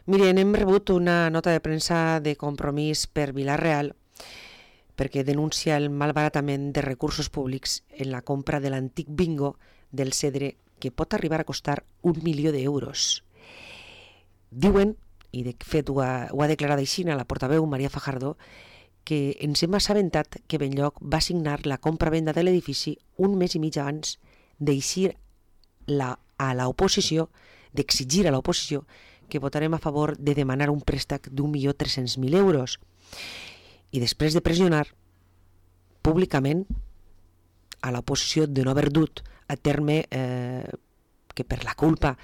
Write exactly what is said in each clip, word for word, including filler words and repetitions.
Miren, hem rebut una nota de premsa de Compromís per Vila-real perquè denuncia el malbaratament de recursos públics en la compra de l'antic bingo del Cedre, que pot arribar a costar un milió d'euros. Diuen, i de fet ho ha, ho ha declarat així a la portaveu Maria Fajardo, que ens hem assabentat que Benlloc va signar la compra-venda de l'edifici un mes i mig abans d'eixir la, a l'oposició, d'exigir a l'oposició que votarem a favor de demanar un préstec d'un milió tres-cents mil euros. I després de pressionar públicament a l'oposició de no haver dut a terme eh, que per la culpa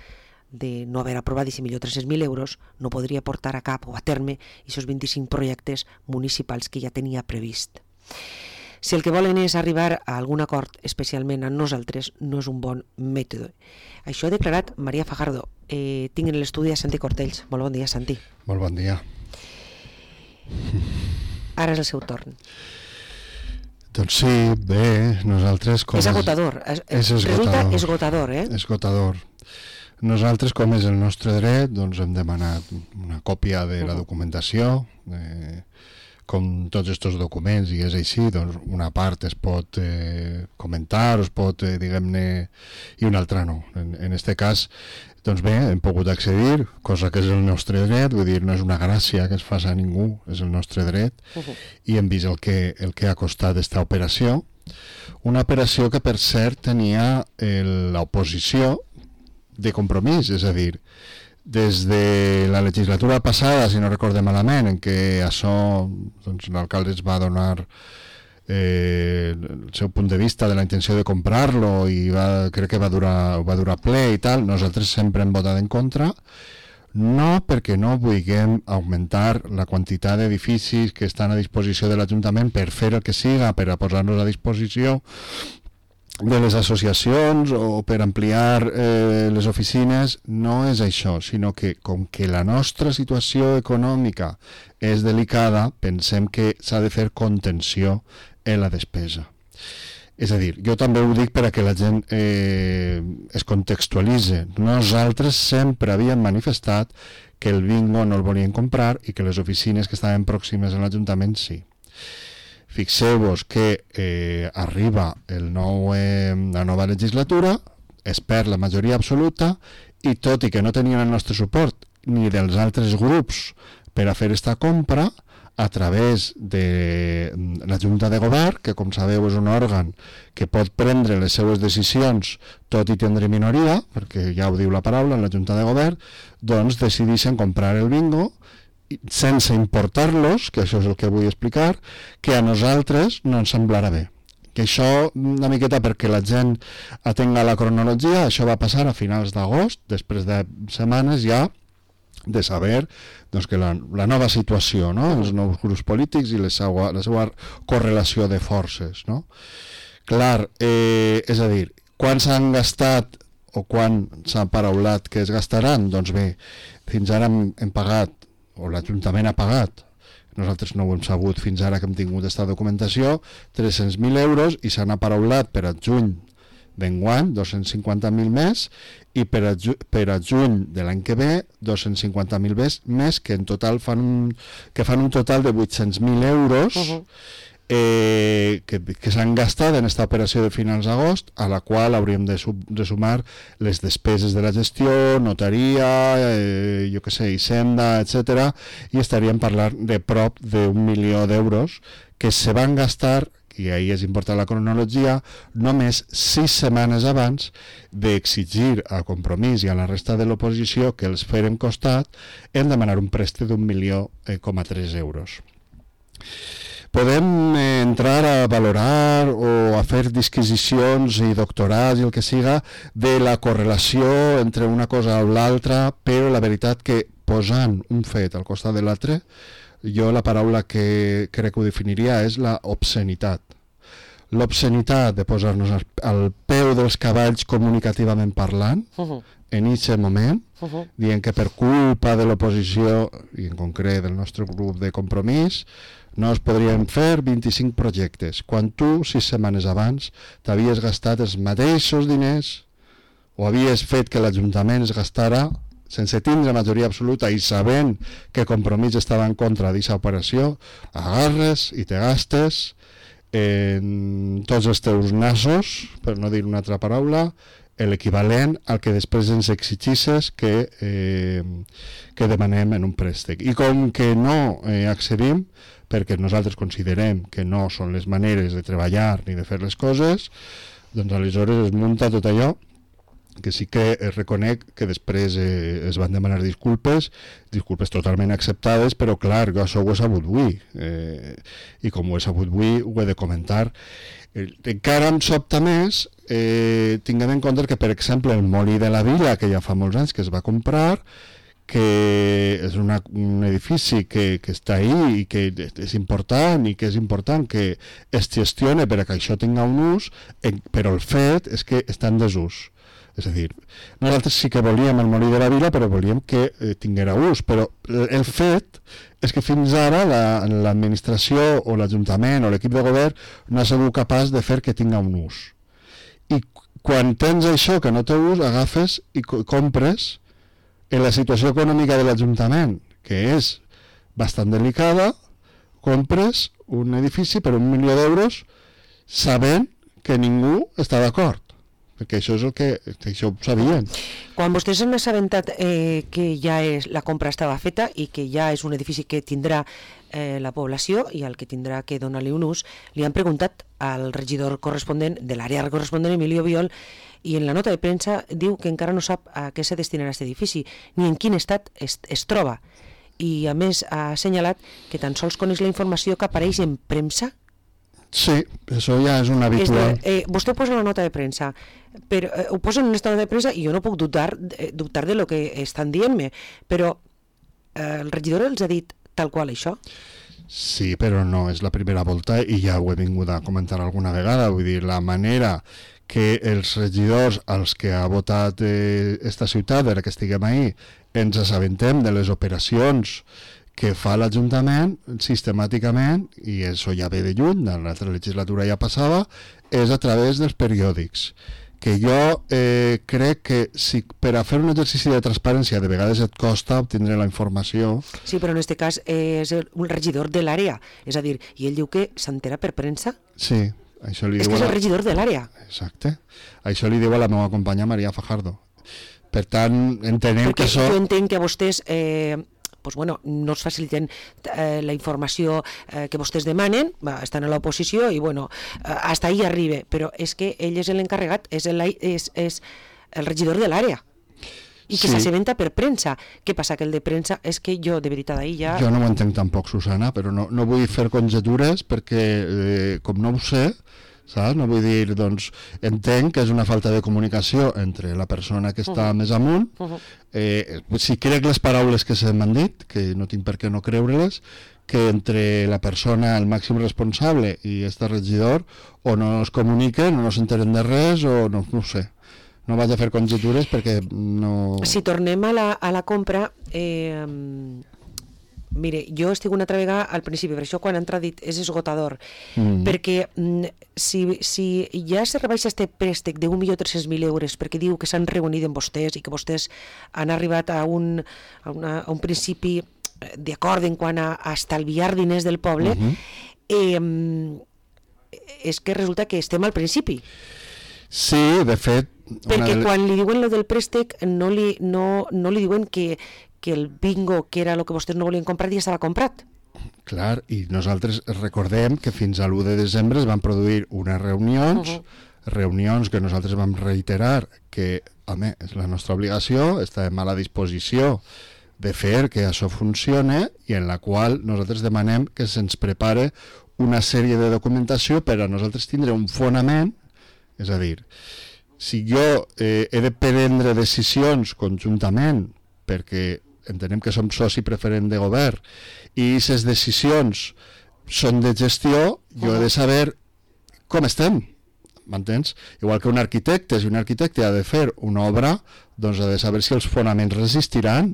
de no haver aprovat aquest milió tres-cents mil euros no podria portar a cap o a terme aquests vint-i-cinc projectes municipals que ja tenia previst. Si el que volen és arribar a algun acord, especialment a nosaltres, no és un bon mètode. Això ha declarat Maria Fajardo. Eh, tinc en l'estudi a Santi Cortells. Molt bon dia, Santi. Molt bon dia. Ara és el seu torn. Doncs sí, bé, nosaltres... Com és agotador. És, és esgotador. Resulta esgotador, eh? Esgotador. Nosaltres, com és el nostre dret, doncs hem demanat una còpia de la documentació, eh, com tots aquests documents, i és així, doncs una part es pot eh, comentar, es pot, eh, diguem-ne, i una altra no. En, en este cas, doncs bé, hem pogut accedir, cosa que és el nostre dret, vull dir, no és una gràcia que es faci a ningú, és el nostre dret, uh-huh. I hem vist el que, el que ha costat aquesta operació, una operació que, per cert, tenia l'oposició de Compromís, és a dir, des de la legislatura passada, si no recordem malament, en què això doncs, l'alcalde es va donar eh, el seu punt de vista de la intenció de comprar-lo i va, crec que va durar, va durar ple i tal, nosaltres sempre hem votat en contra, no perquè no vulguem augmentar la quantitat d'edificis que estan a disposició de l'Ajuntament per fer el que siga, per a posar-nos a disposició de les associacions o per ampliar eh, les oficines, no és això, sinó que com que la nostra situació econòmica és delicada, pensem que s'ha de fer contenció en la despesa. És a dir, jo també ho dic per a que la gent eh, es contextualitzi. Nosaltres sempre havíem manifestat que el bingo no el volien comprar i que les oficines que estaven pròximes a l'Ajuntament sí. Fixeu-vos que eh, arriba el nou, eh, la nova legislatura, es perd la majoria absoluta i tot i que no tenien el nostre suport ni dels altres grups per a fer aquesta compra, a través de la Junta de Govern, que com sabeu és un òrgan que pot prendre les seues decisions tot i tindre minoria, perquè ja ho diu la paraula, la Junta de Govern, doncs decideixen comprar el bingo sense importar-los, que això és el que vull explicar, que a nosaltres no ens semblarà bé. Que això, una miqueta perquè la gent atenga la cronologia, això va passar a finals d'agost, després de setmanes ja de saber doncs, que la, la nova situació, no? Els nous grups polítics i la seva, la seva correlació de forces. No? Clar, eh, és a dir, quan s'han gastat o quan s'ha paraulat que es gastaran? Doncs bé, fins ara hem, hem pagat o l'Ajuntament ha pagat, nosaltres no ho hem sabut fins ara que hem tingut aquesta documentació, tres-cents mil euros i s'han aparaulat per a juny d'enguany dos-cents cinquanta mil més i per a, ju per a juny de l'any que ve dos-cents cinquanta mil més que en total fan un, que fan un total de vuit-cents mil euros uh-huh. eh, que, que s'han gastat en aquesta operació de finals d'agost, a la qual hauríem de, sub, de sumar les despeses de la gestió, notaria, eh, jo que sé, Hisenda, etcètera, i estaríem parlant de prop d'un milió d'euros que se van gastar, i ahí és important la cronologia, només sis setmanes abans d'exigir a Compromís i a la resta de l'oposició que els feren costat en demanar un préstec d'un milió coma tres euros. Podem eh, entrar a valorar o a fer disquisicions i doctorats i el que siga de la correlació entre una cosa o l'altra, però la veritat que posant un fet al costat de l'altre, jo la paraula que crec que ho definiria és la obscenitat. L'obscenitat de posar-nos al, al peu dels cavalls comunicativament parlant, uh-huh. en aquest moment, uh-huh. dient que per culpa de l'oposició, i en concret del nostre grup de Compromís, no es podrien fer vint-i-cinc projectes, quan tu, sis setmanes abans, t'havies gastat els mateixos diners o havies fet que l'Ajuntament es gastara sense tindre majoria absoluta i sabent que Compromís estava en contra d'aquesta operació, agarres i te gastes en tots els teus nassos, per no dir una altra paraula, l'equivalent al que després ens exigisses que, eh, que demanem en un préstec. I com que no eh, accedim, perquè nosaltres considerem que no són les maneres de treballar ni de fer les coses, doncs aleshores es munta tot allò que sí que reconec que després eh, es van demanar disculpes, disculpes totalment acceptades, però clar, jo això ho he sabut avui, eh, i com ho he sabut avui ho he de comentar. Eh, encara em sobta més, eh, tinguem en compte que, per exemple, el Molí de la Vila, que ja fa molts anys que es va comprar, que és una, un edifici que, que està ahí i que és important i que és important que es gestione per a que això tinga un ús, eh, però el fet és que està en desús. És a dir, nosaltres sí que volíem el Molí de la Vila, però volíem que eh, tinguera ús, però el fet és que fins ara l'administració la, o l'Ajuntament o l'equip de govern no ha sigut capaç de fer que tinga un ús. I quan tens això que no té ús, agafes i co compres en la situació econòmica de l'Ajuntament, que és bastant delicada, compres un edifici per un milió d'euros sabent que ningú està d'acord. Perquè això és el que, que això ho sabien. Quan vostès han assabentat eh, que ja és, la compra estava feta i que ja és un edifici que tindrà eh, la població i al que tindrà que donar-li un ús, li han preguntat al regidor corresponent de l'àrea corresponent, Emilio Biol, i en la nota de premsa diu que encara no sap a què se destinarà aquest edifici, ni en quin estat es, es troba. I a més ha assenyalat que tan sols coneix la informació que apareix en premsa. Sí, això ja és un habitual. És de, eh, vostè ho posa en la nota de premsa, però eh, ho posa en una nota de premsa i jo no puc dubtar, eh, dubtar de lo que estan dient-me, però eh, el regidor els ha dit tal qual això? Sí, però no és la primera volta i ja ho he vingut a comentar alguna vegada, vull dir, la manera que els regidors als que ha votat eh, esta ciutat, ara que estiguem ahí, ens assabentem de les operacions que fa l'Ajuntament sistemàticament, i això ja ve de lluny, de l'altra legislatura ja passava, és a través dels periòdics. Que jo eh, crec que si per a fer un exercici de transparència de vegades et costa obtindre la informació... Sí, però en aquest cas eh, és el, un regidor de l'àrea, és a dir, i ell diu que s'entera per premsa? Sí, això li és diu... És que és la... el regidor de l'àrea. Exacte. Això li diu a la meva companya Maria Fajardo. Per tant, entenem Perquè que això... jo entenc que vostès... Eh, pues bueno, no es faciliten eh, la informació eh, que vostès demanen, va, estan a l'oposició i bueno, eh, hasta ahí arriba, però és que ell és l'encarregat, és, el, és, és el regidor de l'àrea i que sí. S'assabenta per premsa. Què passa? Que el de premsa és que jo, de veritat, ahí ja... Jo no ho entenc tampoc, Susana, però no, no vull fer conjetures perquè, eh, com no ho sé, saps? No vull dir, doncs, entenc que és una falta de comunicació entre la persona que està uh -huh. més amunt. Uh -huh. eh, si crec les paraules que se m'han dit, que no tinc per què no creure-les, que entre la persona, el màxim responsable i este regidor, o no es comuniquen, o no s'enteren de res, o no, no ho sé. No vaig a fer conjetures perquè no... Si tornem a la, a la compra... Eh, mire, jo estic una altra vegada al principi, per això quan ha entrat dit és esgotador, mm. perquè mm, si, si ja se rebaixa este préstec d'un milió tres-cents mil euros perquè diu que s'han reunit amb vostès i que vostès han arribat a un, a una, a un principi d'acord en quant a, a estalviar diners del poble, mm-hmm. eh, és que resulta que estem al principi. Sí, de fet... Perquè de... quan li diuen lo del préstec no li, no, no li diuen que que el bingo, que era el que vostès no volien comprar, ja estava comprat. Clar, i nosaltres recordem que fins a l'u de desembre es van produir unes reunions, uh -huh. reunions que nosaltres vam reiterar que, home, és la nostra obligació, estem a la disposició de fer que això funcione i en la qual nosaltres demanem que se'ns prepare una sèrie de documentació per a nosaltres tindre un fonament, és a dir, si jo eh, he de prendre decisions conjuntament perquè entenem que som soci preferent de govern i aquestes decisions són de gestió, jo he de saber com estem, m'entens? Igual que un arquitecte, si un arquitecte ha de fer una obra, doncs ha de saber si els fonaments resistiran.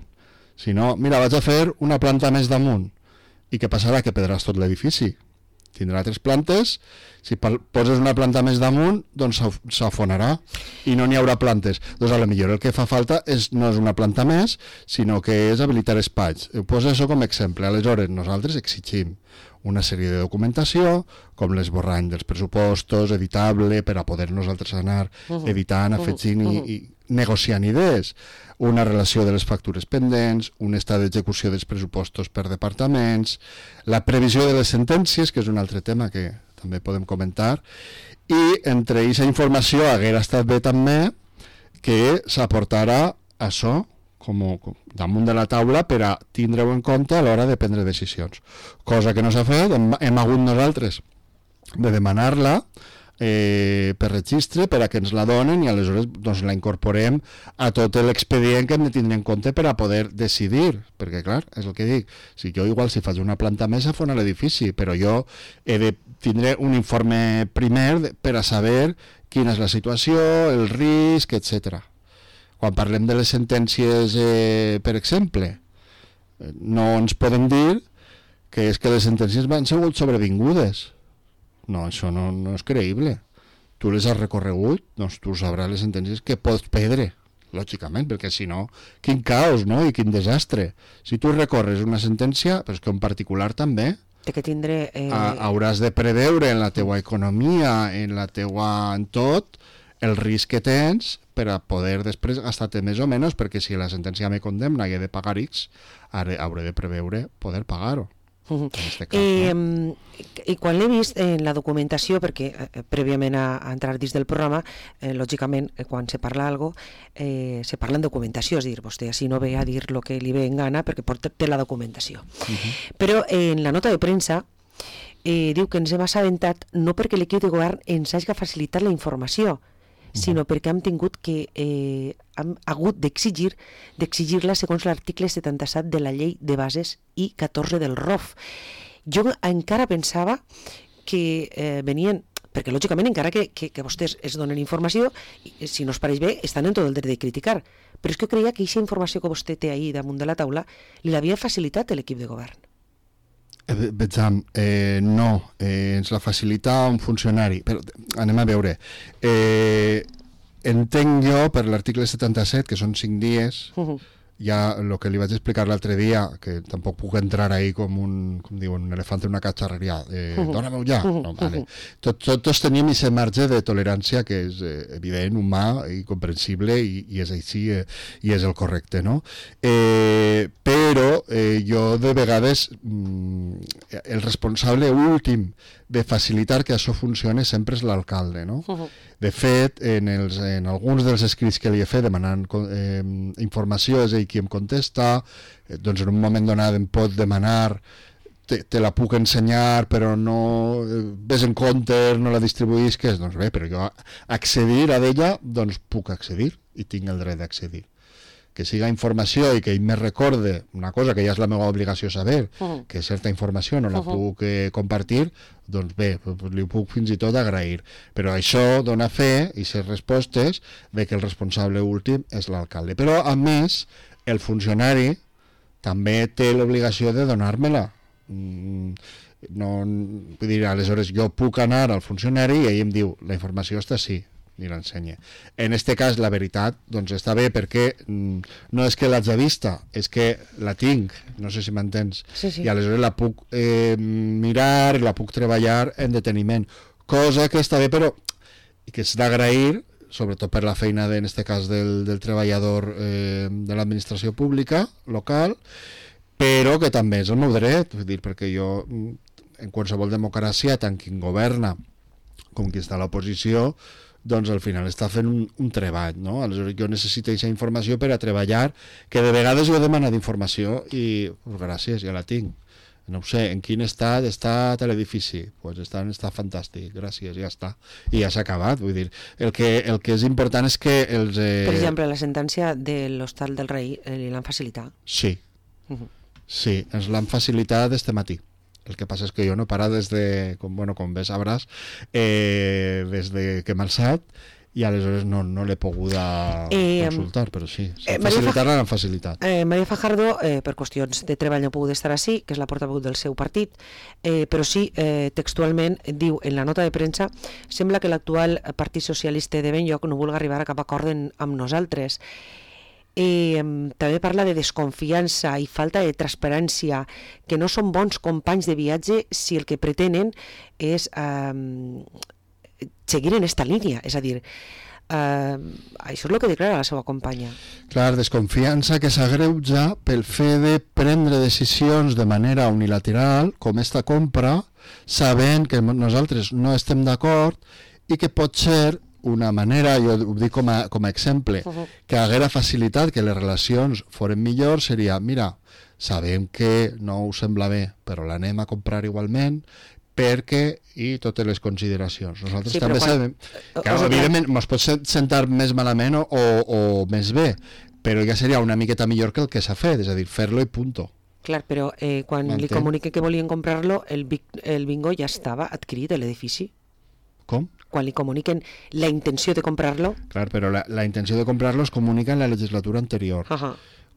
Si no, mira, vaig a fer una planta més damunt. I què passarà? Que perdràs tot l'edifici. tindrà tres plantes, si poses una planta més damunt, doncs s'afonarà i no n'hi haurà plantes. Doncs a lo millor el que fa falta és, no és una planta més, sinó que és habilitar espais. Poso això com a exemple. Aleshores, nosaltres exigim una sèrie de documentació, com l'esborrany dels pressupostos, editable, per a poder nosaltres anar editant, afegint i, i negociant idees, una relació de les factures pendents, un estat d'execució dels pressupostos per departaments, la previsió de les sentències, que és un altre tema que també podem comentar, i entre aquesta informació haguera estat bé també que s'aportara això com, com damunt de la taula per a tindre-ho en compte a l'hora de prendre decisions. Cosa que no s'ha fet, hem, hem hagut nosaltres de demanar-la eh, per registre per a que ens la donen i aleshores doncs, la incorporem a tot l'expedient que hem de tindre en compte per a poder decidir, perquè clar, és el que dic, si jo igual si faig una planta més afona l'edifici, però jo he de tindre un informe primer per a saber quina és la situació, el risc, etcètera. Quan parlem de les sentències, eh, per exemple, no ens poden dir que és que les sentències van ser sobrevingudes. No, això no, no és creïble. Tu les has recorregut, doncs tu sabràs les sentències que pots perdre, lògicament, perquè si no, quin caos, no? I quin desastre. Si tu recorres una sentència, però és que en particular també, de que tindré... Eh... hauràs de preveure en la teua economia, en la teua... en tot, el risc que tens per a poder després gastar-te més o menys, perquè si la sentència me condemna i he de pagar X, hauré de preveure poder pagar-ho. Uh -huh. En este cas, eh, no? I quan l'he vist en la documentació, perquè eh, prèviament a, a entrar dins del programa, eh, lògicament, eh, quan se parla algo, eh, se parla en documentació, és a dir, vostè així no ve a dir el que li ve en gana perquè porta té la documentació. Uh -huh. Però eh, en la nota de premsa eh, diu que ens hem assabentat no perquè l'equip de govern ens hagi facilitat la informació, sinó perquè hem tingut que eh, hem hagut d'exigir d'exigir-la segons l'article setanta-set de la llei de bases i catorze del R O F. Jo encara pensava que eh, venien, perquè lògicament encara que, que, que vostès es donen informació, si no es pareix bé, estan en tot el dret de criticar, però és que jo creia que aquesta informació que vostè té ahir damunt de la taula li l'havia facilitat l'equip de govern. Eh, Vejam, eh, no, eh, ens la facilita un funcionari, però anem a veure. Eh, entenc jo, per l'article setanta-set, que són cinc dies, uh-huh. ja el que li vaig explicar l'altre dia, que tampoc puc entrar ahí com un, com diuen, un elefant en una catxarreria, eh, uh-huh. dóna-me-ho ja. Uh-huh. No, vale. Tot, tot, tots tenim aquest marge de tolerància que és eh, evident, humà i comprensible i, i és així eh, i és el correcte, no? Eh, però eh, jo de vegades mm, el responsable últim de facilitar que això funcione sempre és l'alcalde, no? Uh-huh. De fet, en, els, en alguns dels escrits que li he fet demanant eh, informació, és ell qui em contesta, eh, doncs en un moment donat em pot demanar te, te la puc ensenyar però no eh, ves en compte, no la distribuïsques, doncs bé, però jo accedir a d'ella, doncs puc accedir i tinc el dret d'accedir. Que siga informació i que ell me recorde una cosa que ja és la meva obligació saber, uh-huh. que certa informació no la uh-huh. puc eh, compartir, doncs bé, li puc fins i tot agrair. Però això dona fe i ser respostes de que el responsable últim és l'alcalde. Però, a més, el funcionari també té l'obligació de donar-me-la. Mm, no, vull dir, aleshores jo puc anar al funcionari i ell em diu, la informació està així, i l'ensenya. En este cas, la veritat, doncs està bé perquè mm, no és que l'haig vista, és que la tinc, no sé si m'entens, sí, sí. i aleshores la puc eh, mirar, la puc treballar en deteniment, cosa que està bé, però que és d'agrair, sobretot per la feina, de, en este cas, del, del treballador eh, de l'administració pública local, però que també és el meu dret, vull dir, perquè jo, en qualsevol democràcia, tant qui governa com qui està a l'oposició, doncs al final està fent un, un treball, no? Aleshores jo necessito aquesta informació per a treballar, que de vegades jo he demanat informació i, pues, gràcies, ja la tinc. No ho sé, en quin estat està l'edifici? Pues està en estat fantàstic, gràcies, ja està. I ja s'ha acabat, vull dir. El que, el que és important és que els... Eh... Per exemple, la sentència de l'Hostal del Rei eh, li l'han facilitat? Sí, uh-huh. sí, ens l'han facilitat este matí. El que passa és que jo no he parat des de, com, bueno, com bé sabràs, eh, des de que m'he alçat, i aleshores no, no l'he pogut eh, consultar, però sí, eh, facilitar-la l'han facilitat. Eh, Maria Fajardo, eh, per qüestions de treball no ha pogut estar així, que és la portaveu del seu partit, eh, però sí, eh, textualment diu en la nota de premsa: sembla que l'actual Partit Socialista de Benlloc no vulgui arribar a cap acord amb nosaltres. Eh, també parla de desconfiança i falta de transparència, que no són bons companys de viatge si el que pretenen és eh, seguir en esta línia, és a dir, eh, això és el que declara la seva companya. Clar, desconfiança que s'agreuja pel fet de prendre decisions de manera unilateral, com esta compra, sabent que nosaltres no estem d'acord i que pot ser una manera, jo ho dic com a, com a exemple, uh-huh. que haguera facilitat que les relacions foren millors, seria, mira, sabem que no us sembla bé, però l'anem a comprar igualment, perquè, i totes les consideracions. Nosaltres sí, també quan... sabem que, o evidentment, ens pot sentar més malament o, o, o més bé, però ja seria una miqueta millor que el que s'ha fet, és a dir, fer-lo i punto. Clar, però eh, quan li comunique que volien comprar-lo, el, el bingo ja estava adquirit a l'edifici. Com? Quan li comuniquen la intenció de comprar-lo. Clar, però la, la intenció de comprar-lo es comunica en la legislatura anterior. Uh-huh.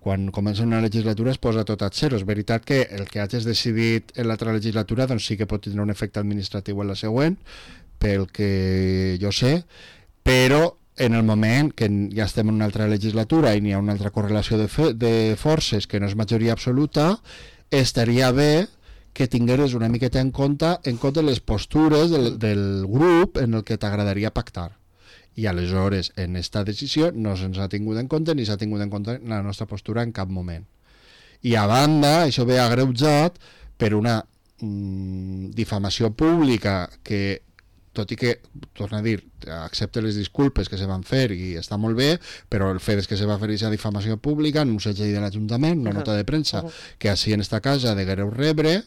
Quan comença una legislatura es posa tot a zero. És veritat que el que hagis decidit en l'altra legislatura doncs sí que pot tenir un efecte administratiu en la següent, pel que jo sé, però en el moment que ja estem en una altra legislatura i n'hi ha una altra correlació de, fe, de forces que no és majoria absoluta, estaria bé que tingueres una miqueta en compte en compte les postures del, del grup en el que t'agradaria pactar. I aleshores, en esta decisió no se'ns ha tingut en compte ni s'ha tingut en compte la nostra postura en cap moment. I a banda, això ve agreujat per una mm, difamació pública que, tot i que, torna a dir, accepte les disculpes que se van fer i està molt bé, però el fet és que se va fer aquesta difamació pública en un segell de l'Ajuntament, una nota de premsa, que així en esta casa deguereu rebre,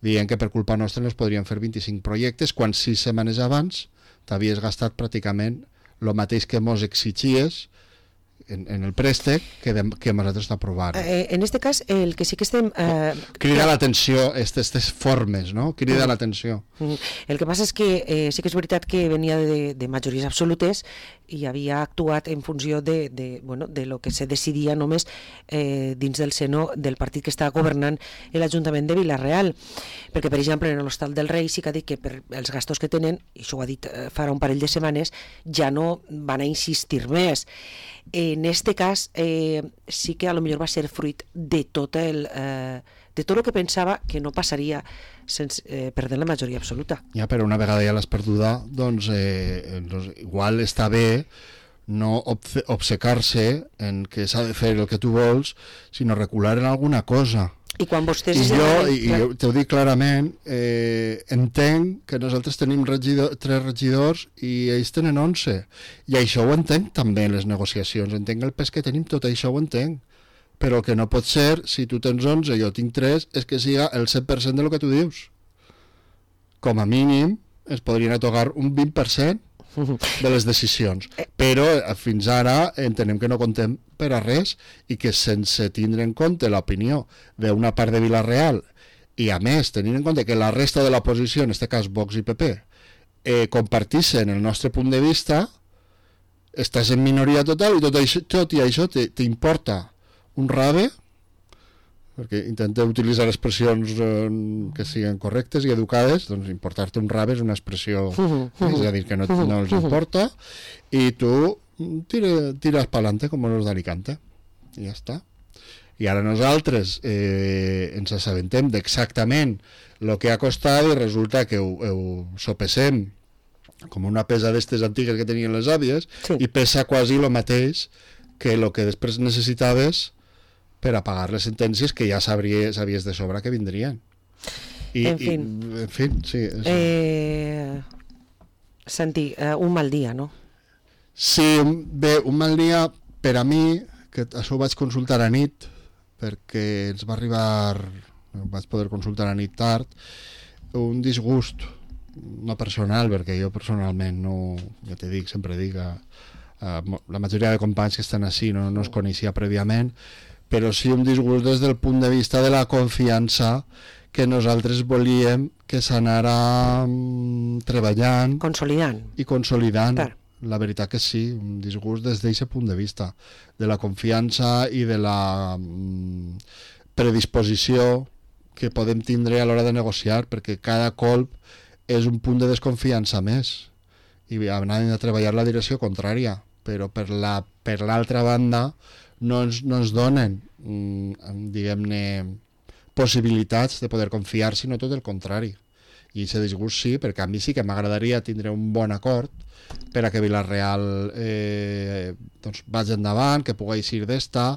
dient que per culpa nostra no es podrien fer vint-i-cinc projectes, quan sis setmanes abans t'havies gastat pràcticament el mateix que mos exigies en, en el préstec que, de, que nosaltres t'aprovàrem. Eh, en este cas, el que sí que estem... Eh, crida que... l'atenció, aquestes formes, no? Crida mm. l'atenció. Mm. El que passa és que eh, sí que és veritat que venia de, de majories absolutes i havia actuat en funció de, de, bueno, de lo que se decidia només eh, dins del seno del partit que està governant l'Ajuntament de Vila-real. Perquè, per exemple, en l'Hostal del Rei sí que ha dit que per els gastos que tenen, i això ho ha dit eh, farà un parell de setmanes, ja no van a insistir més. En este cas eh, sí que a lo millor va ser fruit de tot el eh, de tot el que pensava que no passaria sense eh, perdent la majoria absoluta. Ja, però una vegada ja l'has perduda, doncs, eh, doncs igual està bé no obcecar-se en que s'ha de fer el que tu vols, sinó recular en alguna cosa. I quan vostès... I jo, i, i t'ho dic clarament, eh, entenc que nosaltres tenim regidor, tres regidors i ells tenen onze. I això ho entenc també en les negociacions. Entenc el pes que tenim, tot això ho entenc. Però el que no pot ser, si tu tens onze i jo tinc tres, és que siga el cent per cent de lo que tu dius. Com a mínim, es podrien atorgar un vint per cent de les decisions. Però fins ara entenem que no contem per a res i que sense tindre en compte l'opinió d'una part de Vila-real i a més tenint en compte que la resta de l'oposició, en aquest cas Vox i P P, eh, compartissin el nostre punt de vista, estàs en minoria total i tot això, tot i això t'importa un rave, perquè intenteu utilitzar expressions eh, que siguin correctes i educades, doncs importar-te un rave és una expressió, és a dir, que no, no els importa, i tu tira, tiras pa'lante com los d'Alicante, i ja està. I ara nosaltres eh, ens assabentem d'exactament el que ha costat i resulta que ho, ho sopesem com una pesa d'estes antigues que tenien les àvies, sí. I pesa quasi el mateix que el que després necessitaves per a pagar les sentències que ja sabries, sabies de sobre que vindrien. I, en fi, i, en fi sí. És... Eh, Santi, eh, un mal dia, no? Sí, bé, un mal dia per a mi, que això ho vaig consultar a nit, perquè ens va arribar, vaig poder consultar a nit tard, un disgust, no personal, perquè jo personalment no, ja te dic, sempre dic, a, a, la majoria de companys que estan així no, no es coneixia prèviament, però sí un disgust des del punt de vista de la confiança que nosaltres volíem que s'anara um, treballant consolidant i consolidant per. la veritat que sí, un disgust des d'aquest punt de vista, de la confiança i de la mm, predisposició que podem tindre a l'hora de negociar, perquè cada colp és un punt de desconfiança més i anàvem a treballar la direcció contrària, però per la per l'altra banda no ens, no ens donen mm, diguem-ne possibilitats de poder confiar, sinó tot el contrari. I aquest disgust sí, perquè a mi sí que m'agradaria tindre un bon acord per a que Vila-real eh, doncs vagi endavant, que pugui eixir d'esta,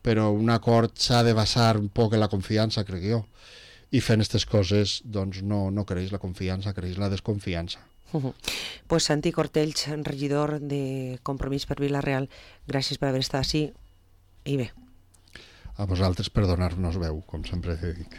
però un acord s'ha de basar un poc en la confiança, crec jo. I fent aquestes coses doncs no, no creix la confiança, creix la desconfiança. Uh-huh. Pues Santi Cortells, regidor de Compromís per Vila-real, gràcies per haver estat així i bé. A vosaltres per donar-nos veu, com sempre dic.